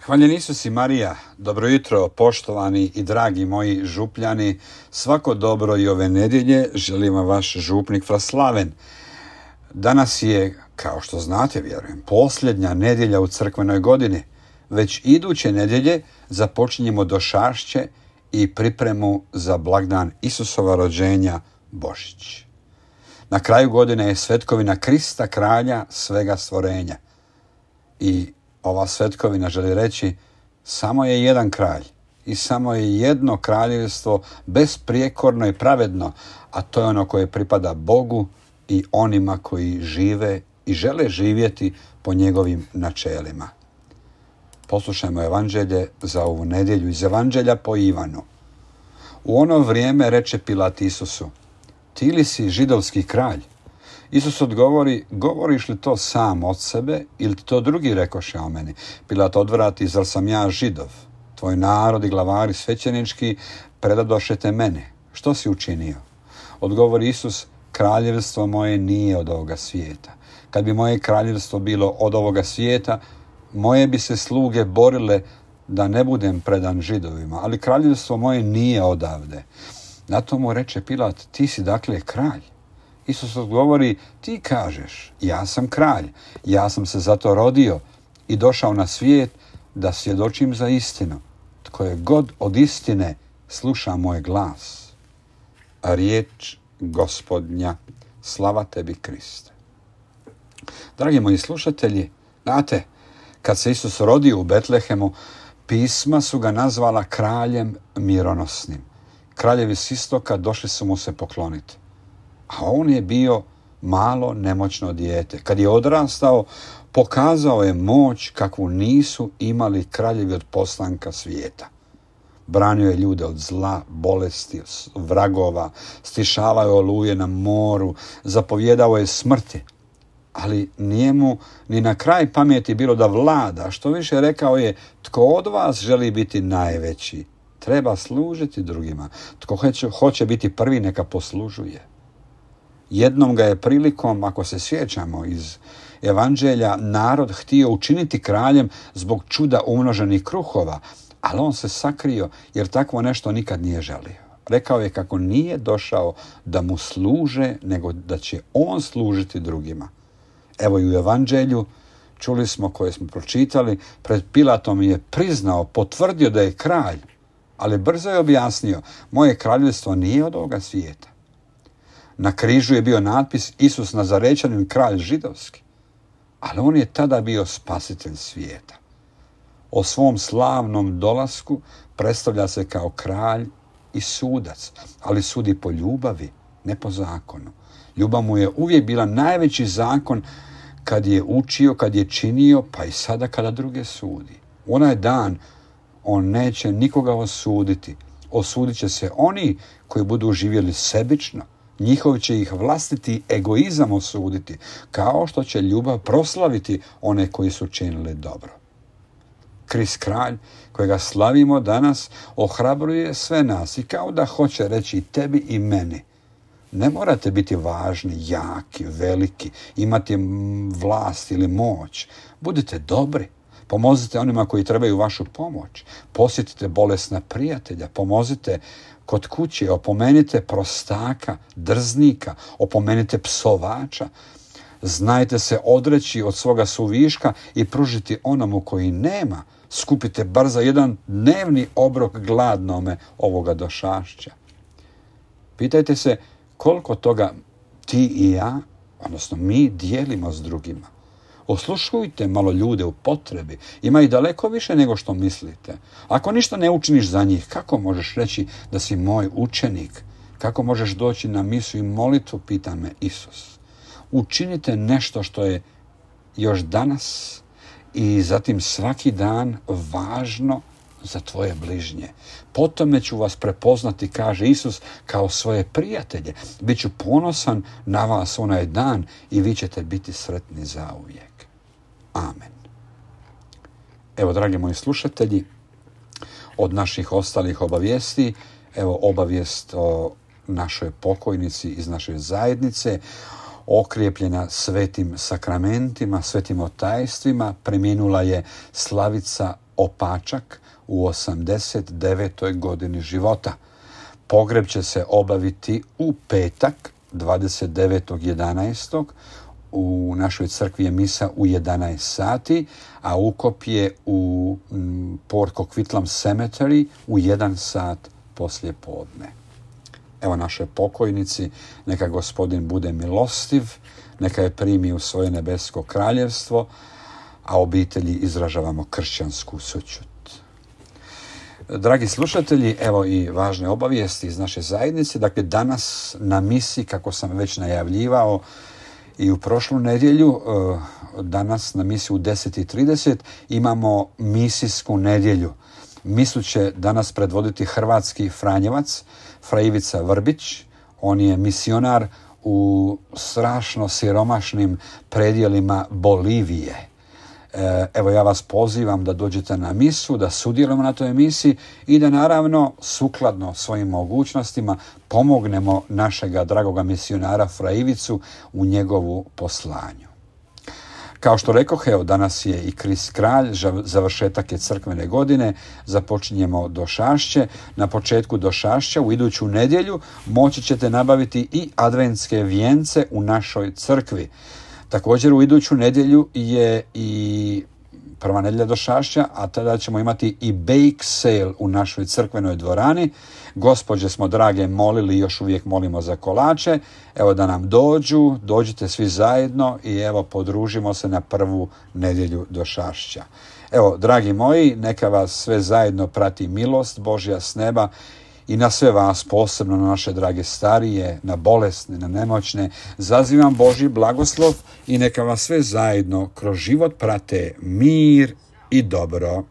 Hvaljen Isus i Marija, dobro jutro poštovani i dragi moji župljani, svako dobro i ove nedjelje želim vam vaš župnik Fra Slaven. Danas je, kao što znate, vjerujem, posljednja nedjelja u crkvenoj godini. Već iduće nedjelje započinjemo došašće i pripremu za blagdan Isusova rođenja Božić. Na kraju godine je svetkovina Krista, kralja svega stvorenja. I ova svetkovina želi reći samo je jedan kralj i samo je jedno kraljevstvo besprijekorno i pravedno, a to je ono koje pripada Bogu i onima koji žive i žele živjeti po njegovim načelima. Poslušajmo evanđelje za ovu nedjelju iz evanđelja po Ivanu. U ono vrijeme reče Pilat Isusu: ti li si židovski kralj? Isus odgovori: govoriš li to sam od sebe ili ti to drugi rekoše o meni? Pilat odvrati: zar sam ja Židov? Tvoj narod i glavari svećenički predadoše te mene. Što si učinio? Odgovori Isus: kraljevstvo moje nije od ovoga svijeta. Kad bi moje kraljevstvo bilo od ovoga svijeta, moje bi se sluge borile da ne budem predan Židovima, ali kraljevstvo moje nije odavde. Na to mu reče Pilat: ti si dakle kralj? Isus odgovori: ti kažeš, ja sam kralj, ja sam se zato rodio i došao na svijet da svjedočim za istinu. Tko je god od istine sluša moj glas. A riječ Gospodnja, slava tebi Kriste. Dragi moji slušatelji, znate, kad se Isus rodio u Betlehemu, pisma su ga nazvala kraljem mironosnim. Kraljevi s istoka došli su mu se pokloniti. A on je bio malo nemoćno dijete. Kad je odrastao, pokazao je moć kakvu nisu imali kraljevi od postanka svijeta. Branio je ljude od zla, bolesti, vragova, stišavao je oluje na moru, zapovjedao je smrti. Ali nije mu ni na kraj pameti bilo da vlada, što više rekao je: tko od vas želi biti najveći, treba služiti drugima. Tko hoće biti prvi, neka poslužuje. Jednom ga je prilikom, ako se sjećamo iz evanđelja, narod htio učiniti kraljem zbog čuda umnoženih kruhova, ali on se sakrio jer takvo nešto nikad nije želio. Rekao je kako nije došao da mu služe, nego da će on služiti drugima. Evo i u evanđelju čuli smo, koje smo pročitali, pred Pilatom je priznao, potvrdio da je kralj, ali brzo je objasnio: moje kraljevstvo nije od ovoga svijeta. Na križu je bio natpis: Isus Nazarečanin, kralj židovski. Ali on je tada bio spasitelj svijeta. O svom slavnom dolasku predstavlja se kao kralj i sudac, ali sudi po ljubavi, ne po zakonu. Ljubav mu je uvijek bila najveći zakon kad je učio, kad je činio, pa i sada kada druge sudi. U onaj dan on neće nikoga osuditi. Osudit će se oni koji budu živjeli sebično. Njihov će ih vlastiti egoizam osuditi, kao što će ljubav proslaviti one koji su činili dobro. Krist kralj, kojega slavimo danas, ohrabruje sve nas i kao da hoće reći tebi i meni: ne morate biti važni, jaki, veliki, imati vlast ili moć. Budite dobri. Pomozite onima koji trebaju vašu pomoć. Posjetite bolesna prijatelja. Pomozite kod kuće. Opomenite prostaka, drznika. Opomenite psovača. Znajte se odreći od svoga suviška i pružiti onomu koji nema. Skupite bar za jedan dnevni obrok gladnome ovoga došašća. Pitajte se koliko toga ti i ja, odnosno mi, dijelimo s drugima. Osluškujte malo ljude u potrebi. Ima ih daleko više nego što mislite. Ako ništa ne učiniš za njih, kako možeš reći da si moj učenik? Kako možeš doći na misu i molitvu, pita me Isus. Učinite nešto što je još danas i zatim svaki dan važno za tvoje bližnje. Potome ću vas prepoznati, kaže Isus, kao svoje prijatelje. Biću ponosan na vas onaj dan i vi ćete biti sretni zauvijek. Amen. Evo, dragi moji slušatelji, od naših ostalih obavijesti, evo obavijest o našoj pokojnici iz naše zajednice. okrijepljena svetim sakramentima, svetim otajstvima, preminula je Slavica Opačak u 89. godini života. Pogreb će se obaviti u petak, 29.11. U našoj crkvi je misa u 11 sati, a ukop je u Port Coquitlam Cemetery u 1 sat poslije podne. Evo našoj pokojnici, neka Gospodin bude milostiv, neka je primi u svoje nebesko kraljevstvo, a obitelji izražavamo kršćansku sućut. Dragi slušatelji, evo i važne obavijesti iz naše zajednice. Dakle, danas na misi, kako sam već najavljivao i u prošlu nedjelju, danas na misi u 10:30 imamo misijsku nedjelju. Misu će danas predvoditi hrvatski Franjevac, Fra Ivica Vrbić. On je misionar u strašno siromašnim predjelima Bolivije. Evo, ja vas pozivam da dođete na misu, da sudjelujemo na toj misi i da naravno sukladno svojim mogućnostima pomognemo našega dragoga misionara Fra Ivicu u njegovu poslanju. Kao što rekoh, evo danas je i Krist kralj, završetak je crkvene godine, započinjemo došašće. Na početku došašća u iduću nedjelju moći ćete nabaviti i adventske vijence u našoj crkvi. Također u iduću nedjelju je i prva nedjelja došašća, a tada ćemo imati i bake sale u našoj crkvenoj dvorani. Gospođe smo drage molili, još uvijek molimo za kolače. Evo da nam dođite svi zajedno i evo podružimo se na prvu nedjelju došašća. Evo, dragi moji, neka vas sve zajedno prati milost Božja s neba i na sve vas, posebno na naše drage starije, na bolesne, na nemoćne, zazivam Božji blagoslov i neka vas sve zajedno kroz život prate mir i dobro.